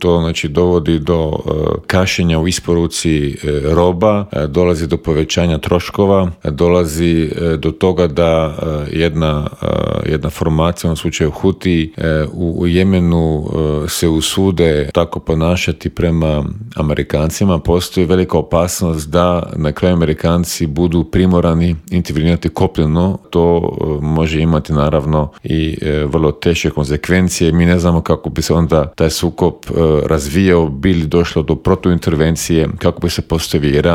To znači dovodi do kašnjenja u isporuci roba, dolazi do povećanja troškova, dolazi do toga da jedna formacija, u slučaju Huti, u Jemenu se usude tako ponašati prema Amerikancima. Postoji velika opasnost da na kraju Amerikanci budu primorani intervenirati kopneno. To može imati naravno i vrlo teške konsekvencije. Mi ne znamo kako bi se onda taj sukob razvijao, bili došlo do protuintervencije, kako bi se postavio Iran